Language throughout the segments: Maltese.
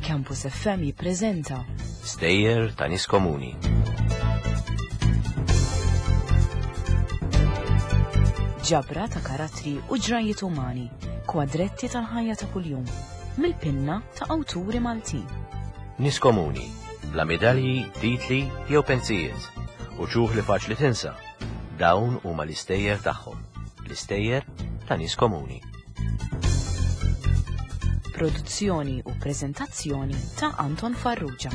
Campus FM jippreżenta Stejjer ta' nies komuni. Ġabra ta' karattri u ġrajiet umani, kwadretti tal-ħajja ta' kuljum, mill-pinna ta' awturi Maltin. Nies komuni, bla medalji, titli jew pensijiet, u ċuħ li faċli tinsa. Dawn huma l-istejjer tagħhom, l-istejjer ta' nies komuni. Produzzjoni u preżentazzjoni ta' Anton Farrugia.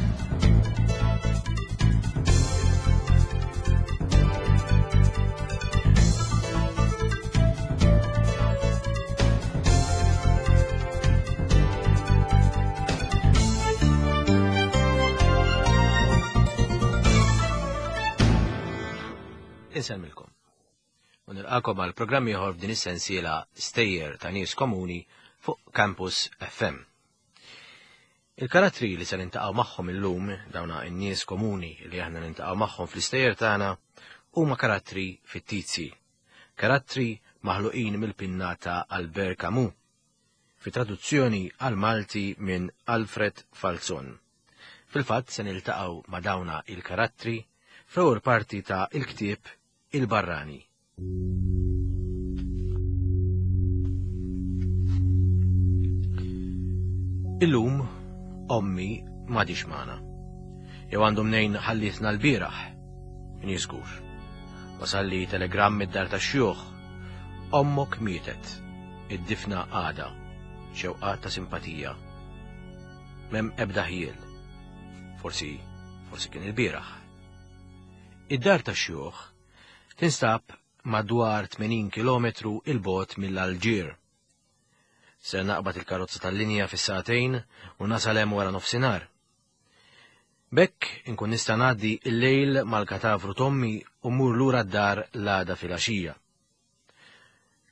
Insemmilkom. U nilqakom għal programm ieħor f'din is-sensiela Stejjer ta' nies komuni fuq Campus FM. Il-karattri li se nintaqgħu magħhom illum, dawna n-nies komuni li aħna nintaqgħu magħhom fl-istejjer tagħna, huma karattri fittizji. Karattri maħluqin mill-pinna ta' Albert Camus, fi traduzzjoni għal Malti minn Alfred Falzon. Fil-fatt se niltaqgħu ma' dawna il-karattri fl-ewwel parti ta' il-ktieb Il-Barrani. Illum ommi m'għadix magħna. Jew għandu mnejn ħallietna l-bieraħ. Min jiżgur. Wasalli telegramm mid-dar tax-xjuħ. Ommok mietet. Id-difna għada. Xewqat ta' simpatija. M'hemm ebda ħjiel. Forsi, forsi kien il-bieraħ. Id-dar tax-xjuħ tinstab madwar 80 kilometru 'il bogħod mill-Alġier. Ser naqbad il-karozza tal-linja fis-sagħtejn u nasal hemm wara nofsinhar. B'hekk inkun nista' ngħaddi l-lejl mal-katavru t'ommi u mmur lura d-dar l-għada filgħaxija.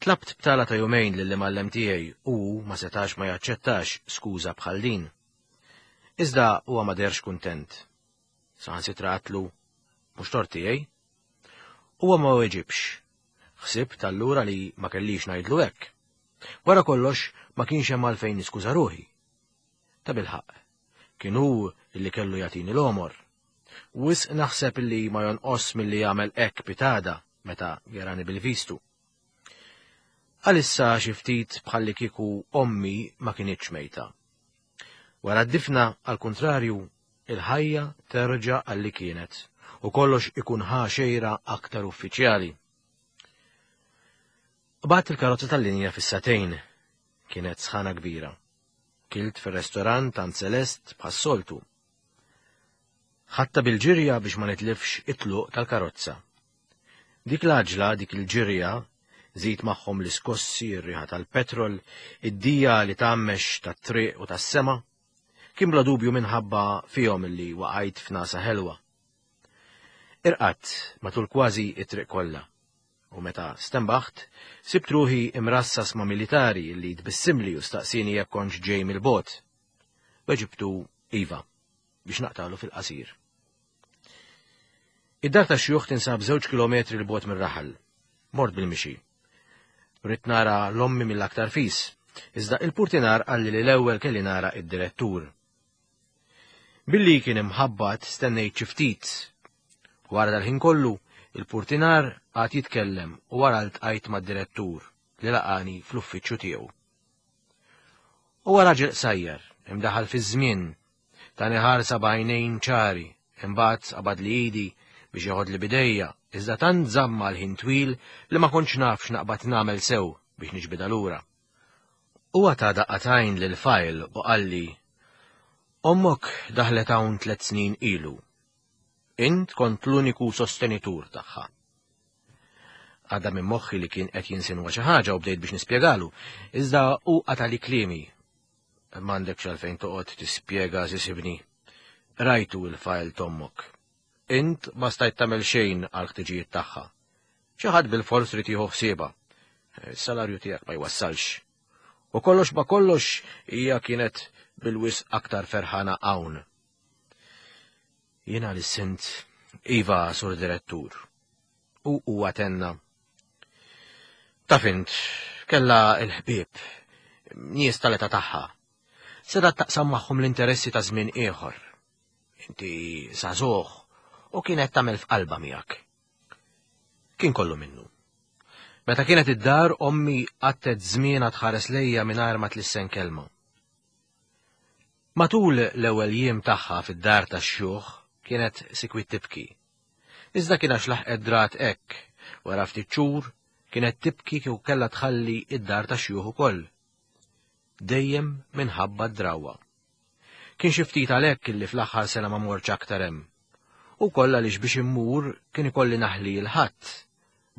Tlabt btala ta' jumejn lill-imgħallem tiegħi u hu ma setax ma jaċċettax skuża bħal din. Iżda huwa ma deherx kuntent. Saħansitra għatlu, mhux tort tiegħi. Huwa ma weġibx. Ħsibt allura li ma kellix ngħidlu hekk. Wara kollox ma kienx hemm għalfejn niskuża ruħi. Ta' bilħaqq, kien hu li kellu jagħtini l-għomor. Wisq naħseb li ma jonqos milli jagħmel hekk pitada meta jarani bil-vistu. Għalissa xi ftit bħalli kieku ommi ma kinitx mejta. Wara d-difna, għall-kuntrarju, il-ħajja terġa' għal li kienet u kollox ikun ħa xejra aktar uffiċjali. Qbadt il-karozza tal-linja fis-sagħtejn. Kienet sħana kbira. Kilt fir-restorant għand Celeste bħas-soltu. Ħadtha bil-ġirja biex ma nitlifx it-tluq tal-karozza. Dik l-għaġla, dik il-ġirja, żid magħhom l-iskossi, ir-riħa tal-petrol, id-dija li tgħammex tat-triq u tas-sema, kien bla dubju minħabba fihom li waqajt f'nasa ħelwa. Irqadt matul kważi it-triq kollha. U meta stenbaħt, sibt ruħi imrassas ma' militari li tbissimli u staqsieni jekk kontx ġej mill-bogħod. Weġibtu iva, biex naqtalu fil-qasir. Id-dar tax-xjuħ tinsab żewġ kilometri 'l bogħod mir-raħal. Mort bil-mixi. Ridt nara l-ommi mill-aktar fis, iżda il-purtinar qalli li l-ewwel kelli nara id-direttur. Billi kien imħabbat stennejt xi ftit. Wara dal-ħin kollu, il-purtinar qagħad jitkellem u wara ltqajt mad-direttur li laqani fl-uffiċċju tiegħu. Huwa raġel qsajjar, imdaħħal fiż-żmien, tani ħarsa b'għajnejn ċari, imbagħad qabadli idi biex jeħodli b'idejja, iżda tant żammha għal ħin twil li ma kontx naf x'naqbad nagħmel sew biex niġbidha lura. Huwa ta daqqa t'għajn lill-fajl u qalli, Ommok daħlet hawn tlett snin ilu. Int kont l-uniku sostenitur tagħha. Għadda minn moħħi li kien qed jinsinwa xi ħaġa u bdejt biex nispjegalu, iżda hu qatali kliemi. M'għandekx għalfejn toqgħod tispjega sisibni. Rajtu il-fajl t'ommok. Int ma stajt tagħmel xejn għall-ħtiġijiet tagħha. Xi ħadd bilfors ried jieħu ħsiebha. Is-salarju tiegħek ma jwassalx. U kollox ma kollox hija kienet bil-wisq aktar ferħana hawn. Jiena lissint, Iva, Sur Direttur. U huwa tenna. Taf int, Kellha l-ħbieb, nies tal-età tagħha. Setgħet taqsam magħhom l-interessi ta' żmien ieħor. Inti żagħżugħ u kienet tagħmel f'qalbha miegħek. Kien kollu minnu. Meta kienet id-dar ommi qattet żmienha tħares lejja mingħajr ma tlissen kelma. Matul l-ewwel jiem tagħha fid-dar tax-xjuħ kienet sikwit tibki. Iżda kien għax laħqet drat hekk, wara ftit xhur kienet tibki kieku kellha tħalli id-dar tax-xjuħ ukoll. Dejjem minħabba d-drawwa. Kien xi ftit għalhekk illi fl-aħħar sena ma mortx aktar hemm. U wkoll għaliex biex immur kien ikolli naħli l-Ħadd.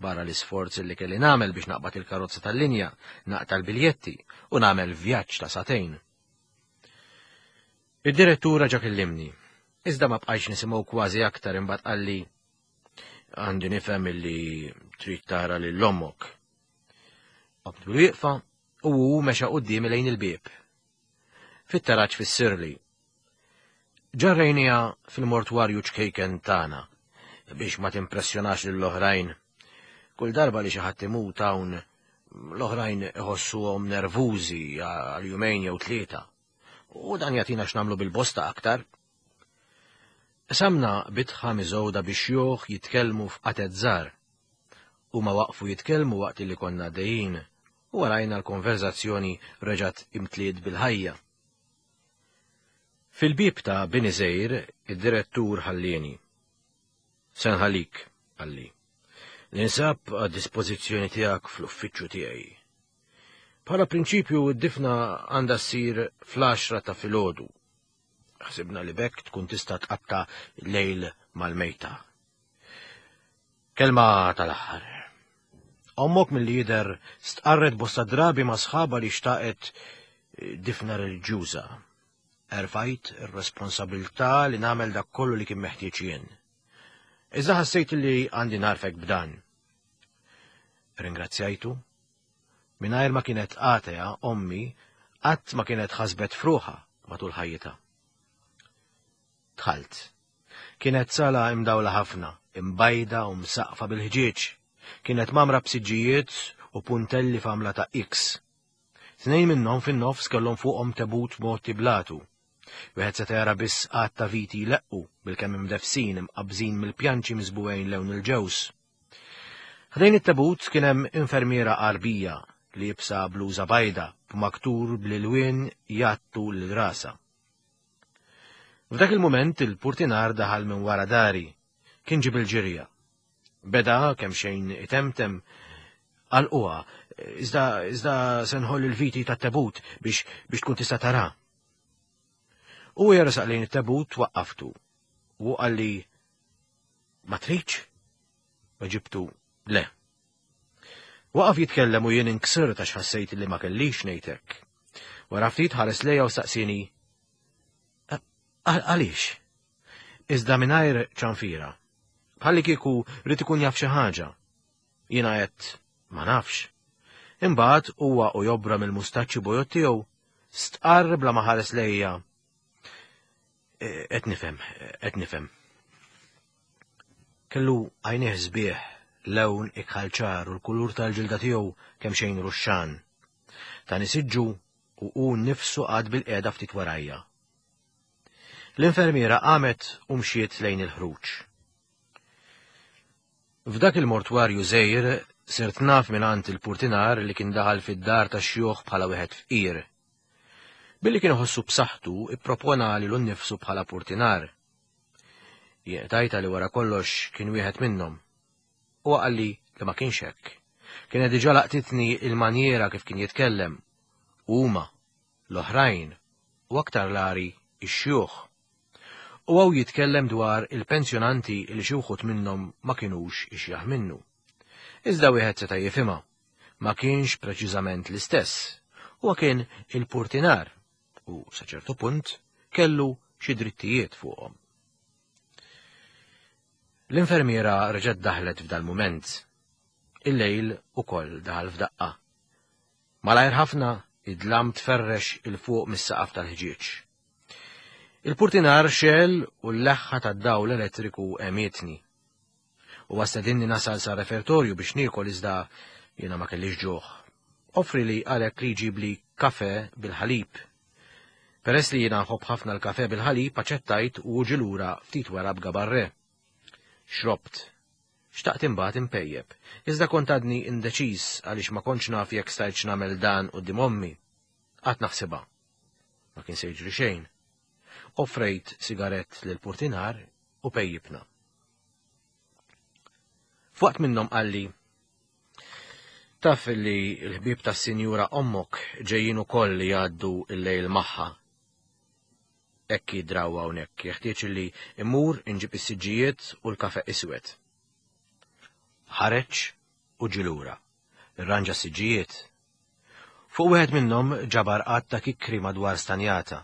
Barra l-isforz illi kelli nagħmel biex naqbad il-karozza tal-linja, naqta' l-biljetti u nagħmel vjaġġ ta' sagħtejn. Id-direttur reġa' kellimni, iżda ma bqajtx nisimgħu kważi aktar imbagħad qalli għandi nifhem illi trid tara lil ommok. Qomt bil-wieqfa u hu mexa quddiemi lejn il-bieb. Fit-taraġ fissirli. Ġarrejniha fil-mortwarju ċkejken tagħna biex ma timpressjonax lill-oħrajn. Kull darba li xi ħadd imut hawn l-oħrajn iħossuhom nervużi għal jumejn jew tlieta. U dan jagħtina x'nagħmlu bil-bosta aktar. Qsamna bitħa miżgħuda bi xjuħ jitkellmu f'qatet żgħar. Huma waqfu jitkellmu waqt li konna għaddejjin u warajna l-konverżazzjoni reġgħet imtliet bil-ħajja. Fil-bieb ta' bini żgħir id-direttur ħallieni. Se nħallik, qalli. Ninsab għad-dispożizzjoni tiegħek fl-uffiċċju tiegħi. Bħala prinċipju d-difna għandha ssir fl-għaxra ta' filgħodu. Ħsibna li b'hekk tkun tista' tqatta' lejl mal-mejta. Kelma tal-aħħar. Ommok milli jidher stqarret bosta drabi ma' sħabha li xtaqet eh, difna reliġjuża. Erfajt ir-responsabilità li nagħmel dak kollu li kien meħtieġ jien. Iżda ħassejt li għandi narfek b'dan. Ringrazzjajtu. Mingħajr ma kienet atea ommi qatt ma kienet ħasbet fruħa matul ħajjitha. Dħalt. Kienet sala imdawla ħafna, imbajda u msaqqfa bil-ħġieġ. Kienet mgħammra b'siġġijiet u puntelli f'għamla ta' X. Tnejn minnhom fin-nofs kellhom fuqhom tebut mgħotti bl-għatu. Wieħed seta' jara biss għadd ta' viti jleqqu, bilkemm imdeffsin, imqabbżin mill-pjanċi miżbugħin lewn il-ġewż. Ħdejn it-tebut kien hemm infermiera Għarbija liebsa bluża bajda b'maktur bl-ilwien jgħattu lil rasha. F'dak il-mument il-purtinar daħal minn wara dari. Kien ġie bil-ġirja. Beda kemm xejn itemtem għalquha, iżda iżda se nħoll il-viti tat-tebut biex biex tkun tista' tara. U jersaq lejn it-tebut waqqaftu. U qalli ma tridx? Weġibtu le. Waqaf jitkellem u jien inksirt għax ħassejt li ma kellix ngħid hekk. Wara ftit ħares lejja u staqsieni Għaliex? Iżda mingħajr ċanfira. Bħalli kieku rrid ikun jaf xi ħaġa. Jiena għedt ma nafx. Imbagħad huwa u jobra mill-mustaċċi bojod tiegħu stqarr bla ma ħares lejja. Qed nifhem, qed nifhem. Kellu għajnejh sbieħ, lewn ikħal ċar u l-kulur tal-ġilda tiegħu kemxejn ruxxan. Tani siġġu u hu nnifsu qagħad bilqiegħda ftit warajja. L-infermiera qamet u mxiet lejn il-ħruġ. F'dak il-mortwarju żgħir sirt naf mingħand il-purtinar li kien daħal fid-dar tax-xjuħ bħala wieħed fqir. Billi kien iħossu b'saħħtu, ippropona lilu nnifsu bħala purtinar. Jien qtajtha li wara kollox kien wieħed minnhom. Huwa qalli li ma kienx hekk. Kienet diġà laqtitni il-manjiera kif kien jitkellem. Huma, l-oħrajn, u aktar l-għari, ix-xjuħ. U hawn jitkellem dwar il-pensjonanti li xi wħud minnhom ma kinux ixjaħ minnu. Iżda wieħed seta' jifhimha. Ma kienx preċiżament l-istess. Huwa kien il-purtinar u sa ċertu punt kellu xi drittijiet fuqhom. L-infermiera reġgħet daħlet f'dal-mument. Il-lejl ukoll daħal f'daqqa. Malajr ħafna id-dlam tferrex 'il fuq mis-saqaf tal-ħġieġ. Il-purtinar xegħel u l-leħħa tad-dawl elettriku għemietni. Huwa stedinni nasal sar-refertorju biex niekol iżda jiena ma kellix ġuħ. Offrieli għalhekk li jġibli kafè bil-ħalib. Peress li jiena nħobb ħafna l-kafè bil-ħalib aċċettajt u hu ġie lura ftit wara b'gabarrè. Xrobt. Xtaqt imbagħad inpejjep, iżda kont għadni indeċiż għaliex ma kontx naf jekk stajtx nagħmel dan quddiem ommi. Qgħadt naħsibha. Ma kien se jiġri xejn. Offrejt sigarett lill-purtinar u pejjipna. F'waqt minnhom qalli, Taf li l-ħbieb tas-sinjura ommok ġejjin ukoll li jgħaddu l-lejl magħha. Hekk hi drawwa hawnhekk, jeħtieġ li immur inġib is-siġġijiet u l-kafe iswed. Ħareġ u ġie lura. Irranġa s-siġġijiet. Fuq wieħed minnhom ġabar għadd ta' kikkri madwar stanjata.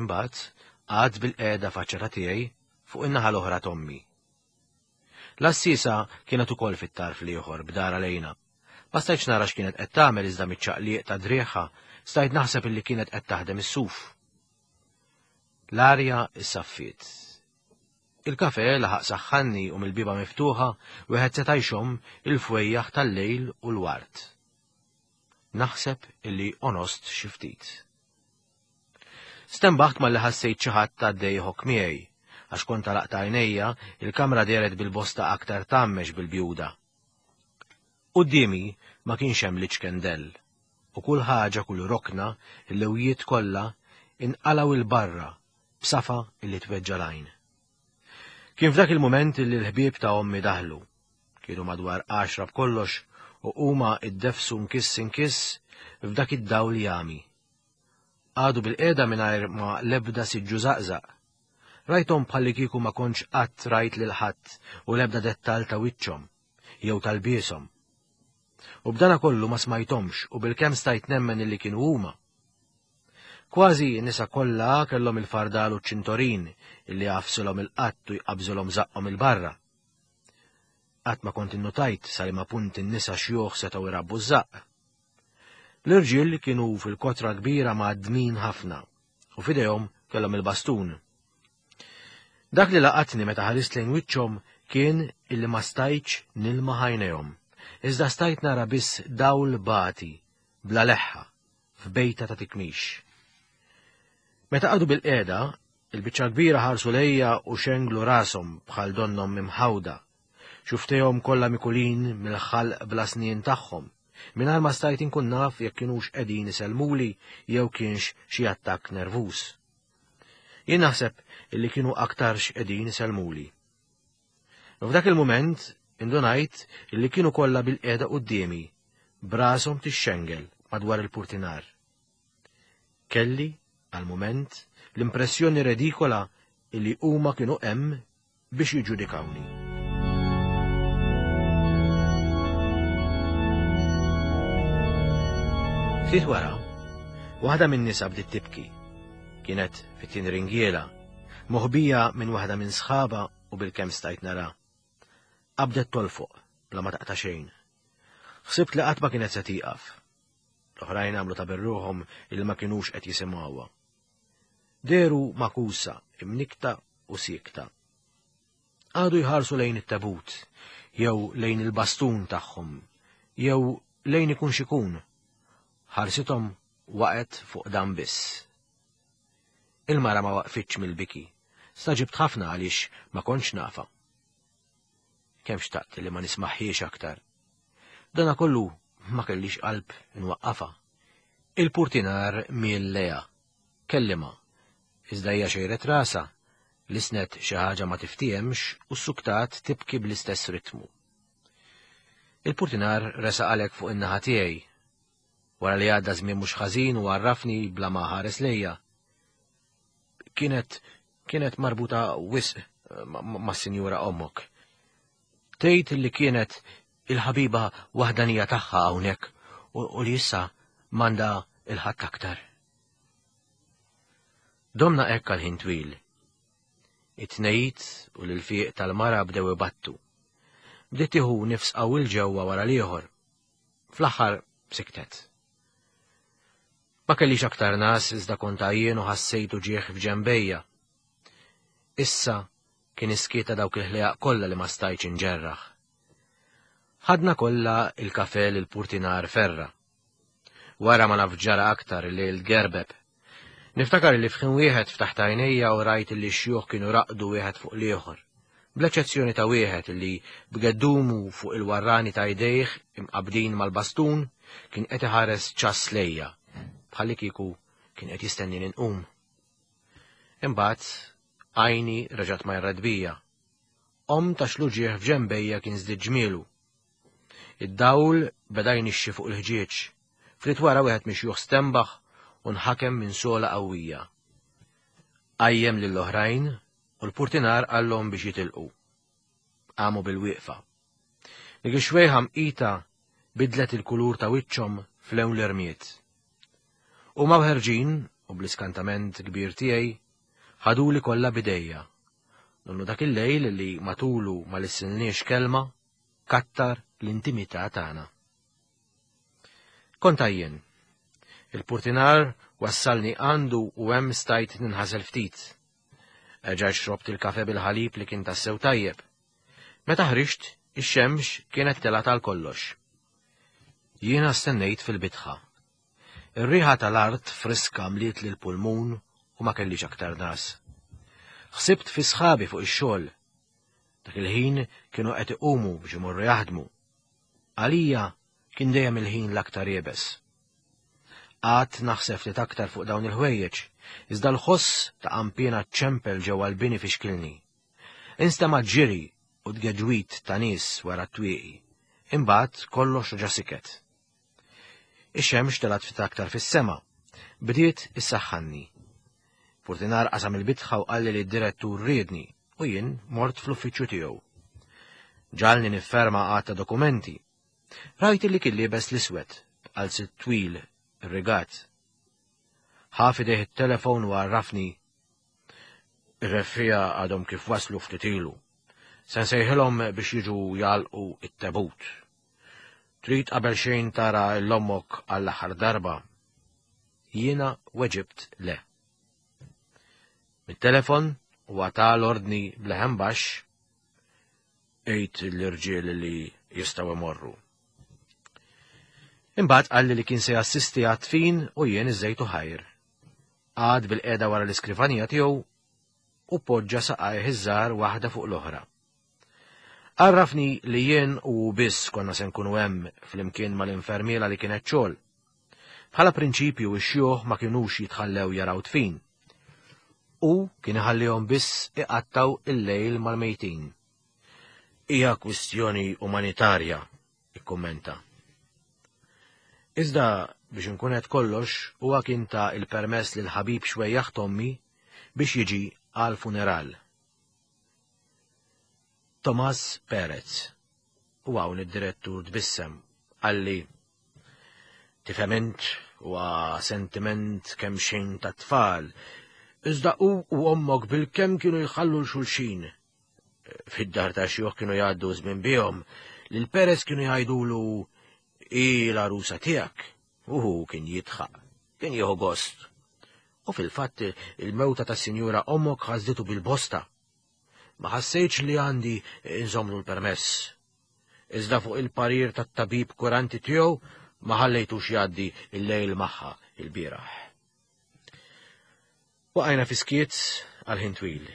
Imbagħad qagħad bilqiegħda faċċata tiegħi fuq in-naħa l-oħra t'ommi. L-għassiesa kienet ukoll fit-tarf l-ieħor b'darha lejna. Ma stajtx nara x'kienet qed tagħmel iżda miċ-ċaqliq ta' driegħha stajt naħseb illi kienet qed taħdem is-suf. L-arja issaffiet. Il-kafè laħaq saħħanni u mill-bieba miftuħa wieħed seta' jxomm il-fwejjaħ tal-lejl u l-ward. Naħseb illi onost xi ftit. Stenbaħt malli ħassejt xi ħadd għaddej iħokk miegħi. Għax kont għalaqt għajnejja, il-kamra dehret bil-bosta aktar tgħammex bil-bjuda. Quddiemi ma kienx hemm l-iċken dell, u kull ħaġa, kull rokna, il-lewjiet kollha, inqalgħu 'l barra b'safa illi tweġġa' l-għajn. Kien f'dak il-mument illi l-ħbieb ta' ommi daħlu. Kienu madwar għaxra b'kollox u huma iddeffsu nkiss inkiss f'dak id-dawl jagħmi. Qagħdu bilqiegħda mingħajr ma l-ebda siġġu żaqżaq. Rajthom bħallikieku ma kontx qatt rajt lil ħadd u l-ebda dettall ta' wiċċhom, jew ta' lbieshom. U b'dana kollu ma smajthomx u bilkemm stajt nemmen illi kienu huma. Kważi n-nisa kollha kellhom il-fardal u ċ-ċintorin illi jagħfsulhom il-qatt u jqabbżulhom żaqqhom 'il barra. Qatt ma kont innutajt sa liema punt in-nisa xjuħ setgħu jrabbu ż-żaqq. L-irġiel kienu fil-kotra kbira mgħaddmin ħafna u f'idejhom kellhom il-bastun. Dak li laqatni meta ħarist lejn wiċċhom kien illi ma stajtx nilma ħajnejhom, iżda stajt nara biss dawl bati, bla leħħa, f'bejta ta' tikmix. Meta qagħdu bil-qiegħda, il-biċċa kbira ħarsu lejja u xenglu rashom bħal donnhom imħawda. Xuftejhom kollha mikulin mill-ħalq bla snien tagħhom. Mingħajr ma stajt inkun naf jekk kinux qegħdin isellmuli jew kienx xi attakk nervuż. Jien naħseb illi kienu aktarx qegħdin isellmuli. F'dak il-mument indunajt illi kienu kollha bil-qiegħda quddiemi, b'rashom tixxengel madwar il-purtinar. Kelli, għal mument, l-impressjoni redikola illi huma kienu hemm biex jiġġudikawni. Ftit wara, waħda min-nisa bdiet tibki. Kienet fit-tieni ringiela, moħbija minn waħda minn sħaba u bilkemm stajt nara. Qabdet tolfoq bla ma taqta' xejn. Ħsibt li qatt ma kienet se tieqaf. L-oħrajn għamlu ta' berruħhom il ma kinux qed jisimgħuha. Dehru magħkusa, imnikkta u siekta. Qagħdu jħarsu lejn it-tebut, jew lejn il-bastun tagħhom, jew lejn ikun x'ikun. Ħarsithom waqgħet fuq dan biss. Il-mara ma waqfitx mill-biki. Stagħġibt ħafna għaliex ma kontx nafha. Kemm xtaqt li ma nismagħhiex aktar. Dana kollu ma kellix qalb inwaqqafha. Il-purtinar miel lejha. Kellimha. Iżda hija xejret rasha, lissnet xi ħaġa ma tiftiehemx u ssuktat tibki bl-istess ritmu. Il-purtinar resaq għalhekk fuq in-naħa tiegħi. Wara li għadda żmien mhux ħażin u għarrafni bla ma ħares lejja. Kienet kienet marbuta wisq mas-sinjura ommok. Tgħid li kienet il-ħabiba waħdanija tagħha hawnhekk u li issa m'għandha il-ħadd aktar. Domna hekk għal ħin twil. It-tnejt u l-ilfiq tal-mara bdew ibattu. Bdiet tieħu nifs qawwi 'l ġewwa wara l-ieħor. Fl-aħħar siktet. Ma kellix aktar nas iżda kont għajjien u ħassejt uġigħ f'ġenbejja. Issa kien is-skiet ta' dawk il-ħlejaq kollha li ma stajtx inġerraħ. Ħadna kollha il-kafè lil Purtinar Ferra. Wara ma naf ġara aktar il-lejl tgerbeb. Niftakar li f'ħin wieħed ftaħt għajnejja u rajt li x-xjuħ kienu raqdu wieħed fuq l-ieħor, bl-eċċezzjoni ta' wieħed li b'geddumu fuq il-warrani ta' jdejh imqabbdin mal-bastun kien qed iħares ċass lejja, bħallikieku kien qed jistennini nqum. Imbagħad għajni reġgħet marret bija. Qomt għax l-uġigħ f'ġenbejja kien żdied ġmielu. Id-dawl beda jnixxi fuq il-ħġieġ. Ftit wara wieħed mix-xjuħ stenbaħ u nħakem minn sogħla qawwija. Qajjem lill-oħrajn u l-purtinar qallhom biex jitilqu. Qamu bil-wieqfa. Dik ix-xwejħa mqita bidlet il-kulur ta' wiċċhom f'lewn l-irmied. Huma u ħerġin, u bl-iskantament kbir tiegħi, ħaduli kollha b'idejja. Donnu dak il-lejl li matulu ma lissilniex kelma, kattar l-intimità tagħna. Kont għajjien. Il-purtinar wassalni għandu u hemm stajt ninħasel ftit. Erġajt xrobt il-kafe bil-ħalib li kien tassew tajjeb. Meta ħriġt, ix-xemx kienet telgħet għal kollox. Jiena stennejt fil-bitħa. Ir-riħa tal-art friska mlietli l-pulmun u ma kellix aktar nas. Ħsibt fi sħabi fuq ix-xogħol. Dak il-ħin kienu qed iqumu biex imorru jaħdmu. Għalija kien dejjem il-ħin l-aktar iebes. Qgħadt naħseb ftit aktar fuq dawn il-ħwejjeġ, iżda l-ħoss ta' qanpiena ċċempel ġewwa l-bini fixkilni. Instema' ġiri u tgeġwid ta' nies wara t-twieqi. Imbagħad kollox reġa' siket. Ix-xemx telgħet ftit aktar fis-sema. Bdiet issaħħanni. Purtinar qasam il-bitħa u qalli li d-direttur riedni u jien mort fl-uffiċċju tiegħu. Ġalni nifferma għadd ta' dokumenti. Rajt li kien liebes l-iswed, b'qalzit twil, irrigat. Ħa f'idejh it-telefon u għarrafni Ir-reffiegħa għadhom kif waslu ftit ilu. Se nsejħilhom biex jiġu jagħlqu t-tebut. Trid qabel xejn tara 'l ommok għall-aħħar darba? Jiena weġibt le. Mit-telefon huwa ta l-ordni b'leħen baxx, Għid l-irġiel li jistgħu imorru. Imbagħad qalli li kien se jassisti għat-tfin u jien iżejtu ħajr. Qagħad bilqiegħda wara l-iskrivanija tiegħu u poġġa saqajh iż-żgħar waħda fuq l-oħra. Għarrafni li jien u hu biss konna se nkunu hemm flimkien mal-infermiera li kienet xogħol. Bħala prinċipju x-xjuħ ma kinux jitħallew jaraw dfin. Hu kien iħallihom biss iqattgħu il-lejl mal-mejtin. Hija kwistjoni umanitarja, ikkummenta. Iżda biex inkun qed kollox huwa kien ta l-permess lil ħabib xwejjaħ t'ommi biex jiġi għall-funeral. Tomas Perez. U hawn id-direttur tbissem, qalli, Tifhem int, huwa sentiment kemxejn tat-tfal, iżda hu u ommok bilkemm kienu jħallu 'l xulxin. Fid-dar ta' xjuħ kienu jgħaddu żmien bihom, lil Perez kienu jgħidulu hi l-għarusa tiegħek, u hu kien jidħaq, kien jieħu gost. U fil-fatt il-mewta tas-sinjura ommok ħasditu bil-bosta. Ma ħassejtx li għandi nżommlu l-permess. Iżda fuq il-parir tat-tabib kuranti tiegħu ma ħallejtux jgħaddi l-lejl magħha il-bieraħ. Waqajna fi skiet għal ħin twil.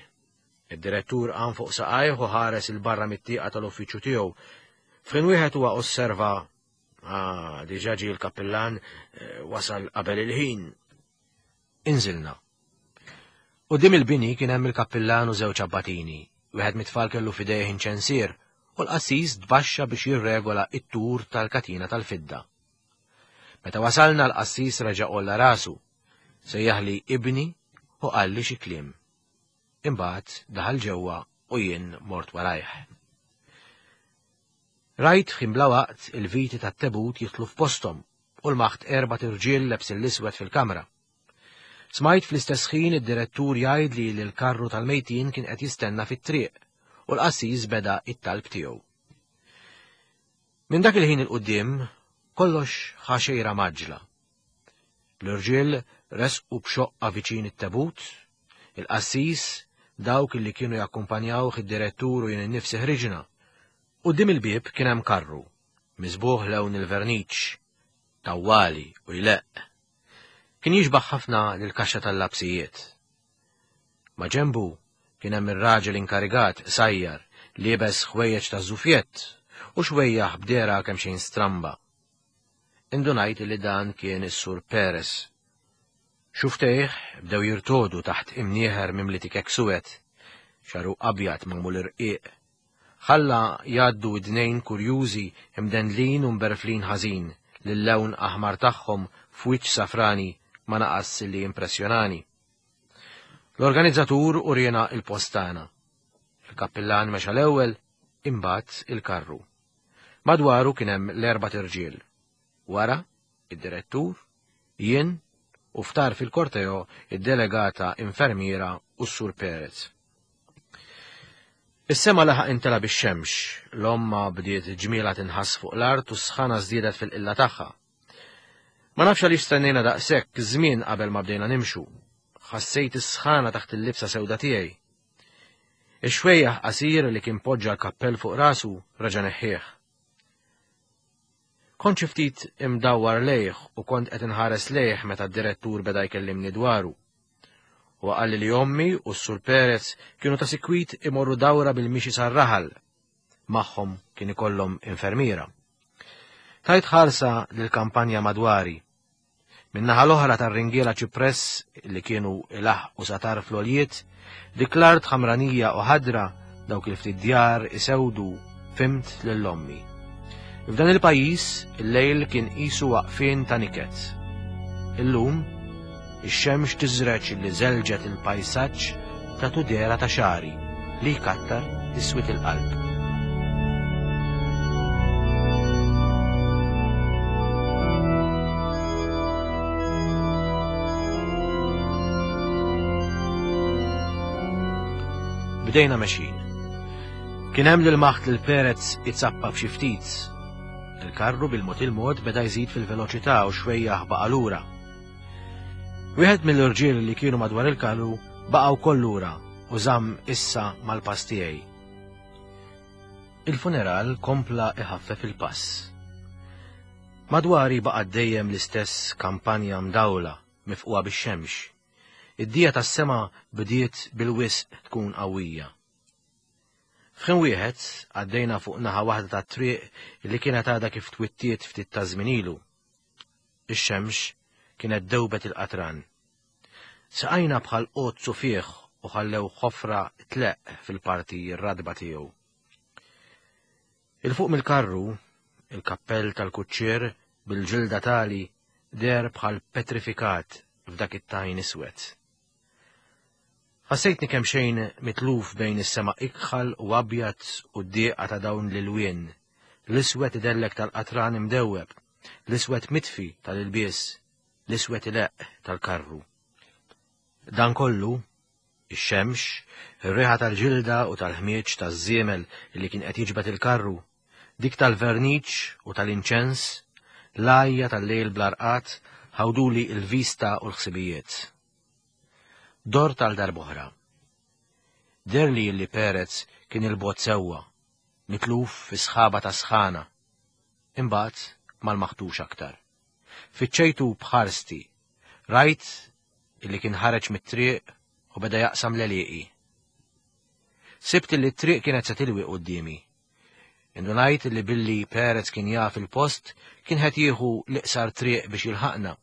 Id-direttur qam fuq saqajh u ħares 'il barra mit-tieqa tal-uffiċċju tiegħu. F'ħin wieħed huwa osserva, Ah, diġà ġie l-kappillan eh, wasal qabel il-ħin. Inżilna. Quddiem il-bini kien hemm il-kappillan u żewġ abbatini. Wieħed mit-tfal kellu f'idejh inċensier u l-qassis tbaxxa biex jirregola t-tur tal-katina tal-fidda. Meta wasalna l-qassis reġa' għolla rasu. Sejjaħli ibni u qalli xi kliem. Imbagħad daħal ġewwa u jien mort warajh. Rajt f'ħin bla waqt il-viti tat-tebut jidħlu f'posthom u lmaħt erbat irġiel lebsin l-iswed fil-kamra. Smajt fl-istess ħin id-direttur jgħidli li l-karru tal-mejtin kien qed jistenna fit-triq u l-qassis beda it-talb tiegħu. Minn dak il-ħin 'il quddiem kollox ħa xejra mgħaġġla. L-irġiel resqu b'xoqqa viċin it-tebut, il-qassis, dawk li kienu jakkumpanjawh id-direttur u jien innifsi ħriġna. Quddiem il-bieb kien hemm karru, miżbugħ lewn il-verniċ. tawwali u jleqq. Kien jixbaħ ħafna lill-kaxxa tal-lapsijiet. Ma' ġenbu kien hemm ir-raġel inkarigat qsajjar, liebes ħwejjeġ taż-żufjett u xwejjaħ b'dehra kemxejn stramba. Indunajt li dan kien is-Sur Perez. Xufftejh bdew jirtogħdu taħt imnieħer mimli tikek suwed, xagħru abjad magħmul irqiq. Ħalla jgħaddu widnejn kurjużi imdendlin u mberflin ħażin li l-lewn aħmar tagħhom f'wiċċ safrani ma naqas li jimpressjonani. L-organizzatur uriena il-post tagħna. Il-kappillan mexa l-ewwel, imbagħad il-karru. Madwaru kien hemm l-erbat irġiel. Wara, id-direttur, jien, u f'tarf il-korteo id-delegata infermiera u s-Sur Perez. Is-sema laħaq intela bix-xemx, l-omma bdiet ġmielha tinħass fuq l-art u s-sħana żdiedet fil-qilla tagħha. Ma nafx għaliex stennejna daqshekk żmien qabel ma bdejna nimxu. Ħassejt is-sħana taħt il-libsa sewda tiegħi. Ix-xwejjaħ qasir li kien poġġa l-kappell fuq rasu reġa' neħħieh. Kont xi ftit imdawwar lejh u kont qed inħares lejh meta d-direttur beda jkellimni dwaru. Huwa qalli li ommi u s-Sur Perez kienu ta' sikwit imorru dawra bil-mixi sar-raħal. Magħhom kien ikollhom infermiera. Tajt ħarsa lill-kampanja madwari. Min-naħa l-oħra tar-ringiela ċipress li kienu ilaħħqu sa tarf l-għoljiet, dik l-art ħamranija u ħadra, dawk il-ftit djar isewdu, fhimt lil ommi. F'dan il-pajjiż, il-lejl kien qisu waqfien ta' niket. Illum, ix-xemx tiżreġ li żelġet il-pajsaġġ ta' tudera ta' xagħri li jkattar is-swied il-qalb. Bdejna mexjin. Kien hemm lil maħt lil Perez itzappa f'xi ftit. Il-karru bil-mod il-mod beda jżid fil-veloċità u xwejjaħ baqa' lura. Wieħed mill-irġiel li kienu madwar il-karru baqa' wkoll lura u żamm issa mal-pass tiegħi. Il-funeral kompla iħaffef il-pass. Madwari baqgħet dejjem l-istess kampanja mdawla mifqugħa bix-xemx. Id-dija tas-sema bdiet bil-wisq tkun qawwija. F'ħin wieħed għaddejna fuq naħa waħda tat-triq li kienet għadha kif twittiet ftit ta' żmien ilu. Ix-xemx kienet dewbet il-qatran. Saqajna bħal qozzu fih u ħallew ħofra tleqq fil-parti r-ratba tiegħu. Il fuq mill-karru, il-kappell tal-kuċċier bil-ġilda tali deher bħal petrifikat f'dak it-tajn iswed. Ħassejtni kemxejn mitluf bejn is-sema ikħal u abjad u d-dieqa ta' dawn l-ilwien, l-iswed idellek tal-qatran imdewweb, l-iswed mitfi tal-ilbies, l-iswed ileqq tal-karru. Dan kollu, ix-xemx, ir-riħa tal-ġilda u tal-ħmieġ taż-żiemel li kien qed jiġbed il-karru, dik tal-verniċ u tal-inċens, l-għajja tal-lejl bla rqad ħawduli l-vista u l-ħsibijiet. Dort għal darb'oħra. Deherli li Perez kien 'il bogħod sewwa, mitluf fi sħaba ta' sħana. Imbagħad ma lmaħtux aktar. Fittxejtu b'ħarsti. Rajt illi kien ħareġ mit-triq u beda jaqsam l-għelieqi. Sibt illi t-triq kienet se tilwi quddiemi. Indunajt illi billi Perez kien jaf il-post kien qed jieħu l-iqsar triq biex jilħaqna.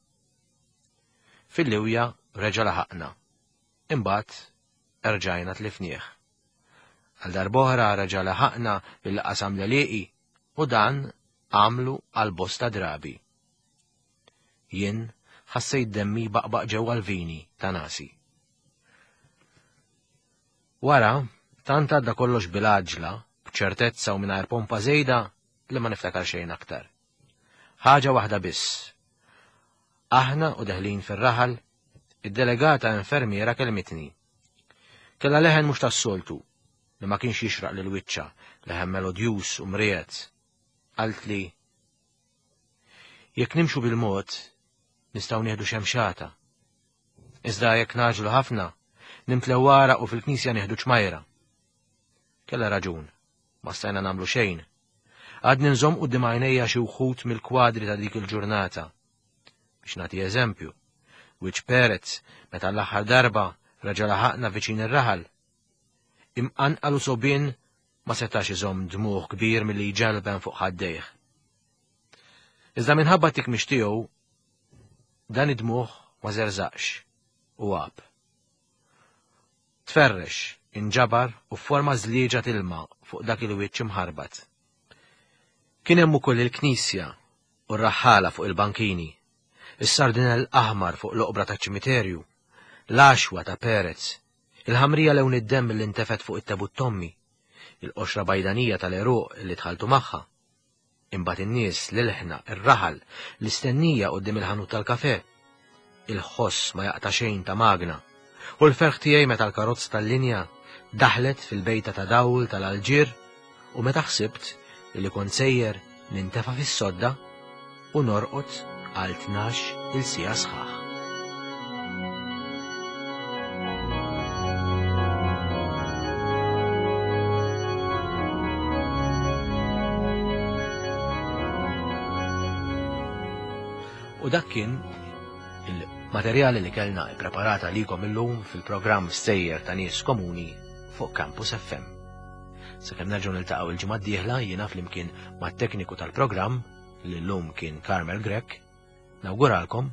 Fil-liwja reġa' laħaqna. Imbagħad erġajna tlifnieh. Għal darb'oħra reġa' laħaqna billi qasam l-għelieqi u dan għamlu għal bosta drabi. Jien ħassejt demmi jbaqbaq ġewwa l-vini ta' nasi. Wara, tant għadda kollox bil-għaġla, b'ċertezza u mingħajr pompa żejda li ma niftakar xejn aktar. Ħaġa waħda biss. Aħna u deħlin fir-raħal, id-delegata infermiera kellmitni. Kellha leħen mhux tas-soltu, li ma kienx jixraq lil wiċċha, leħen melodjuż u mriegħed. Qaltli, Jekk nimxu bil-mod, nistgħu nieħdu xemxata. Iżda jekk ngħaġlu ħafna, nimtlew għaraq u fil-knisja nieħdu ċmajra. Kellha raġun, ma stajna nagħmlu xejn. Għadni nżomm quddiem għajnejja xi wħud mill-kwadri ta' dik il-ġurnata. Biex nagħti eżempju, wiċċ Perez meta l-aħħar darba reġa' laħaqna viċin ir-raħal. Imqanqal u sogħbien ma setax iżomm dmugħ kbir milli jġalben fuq ħaddejh. Iżda minħabba t-tikmix tiegħu, dan id-dmugħ ma żerżaqx u għab. Tferrex, inġabar u fforma żlieġa t'ilma fuq dak il-wiċċ imħarbat. Kien hemm ukoll il-knisja u r-raħħala fuq il-bankini, is-sardinell aħmar fuq l-oqbra taċ-ċimiterju, l-għaxwa ta' Perez, il-ħamrija lewn id-demm li ntefgħet fuq it-tebut t'ommi, il-qoxra bajdanija tal-għeruq li dħaltu magħha. Imbagħad in-nies, l-ilħna, ir-raħal, l-istennija quddiem il-ħanut tal-kafè, il-ħoss ma jaqta' xejn ta' magna, u l-ferħ tiegħi meta l-karozza tal-linja daħlet fil-bejta ta' dawl tal-Alġier u meta ħsibt li kont sejjer nintefa' fis-sodda u norqod għal 12-il siegħa sħaħ. U dak kien il-materjali li kellna ippreparata għalikom illum fil-programm Stejjer ta' Nies Komuni fuq Campus FM. Sakemm nerġgħu niltaqgħu il-ġimgħa d-dieħla jiena flimkien mat-tekniku tal-programm li llum kien Carmel Grech, nawguralkom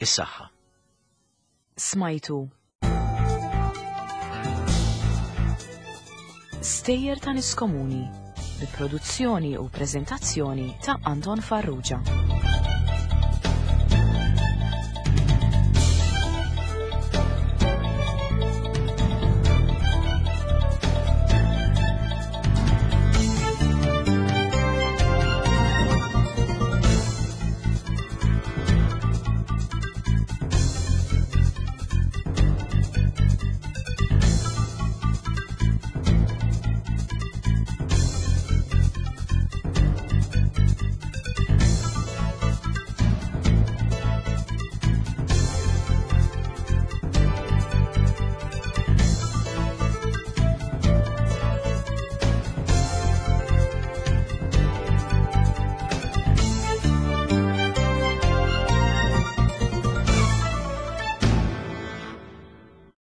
is-saħħa. Smajtu Stejjer ta' Nies Komuni bi produzzjoni u preżentazzjoni ta' Anton Farrugia.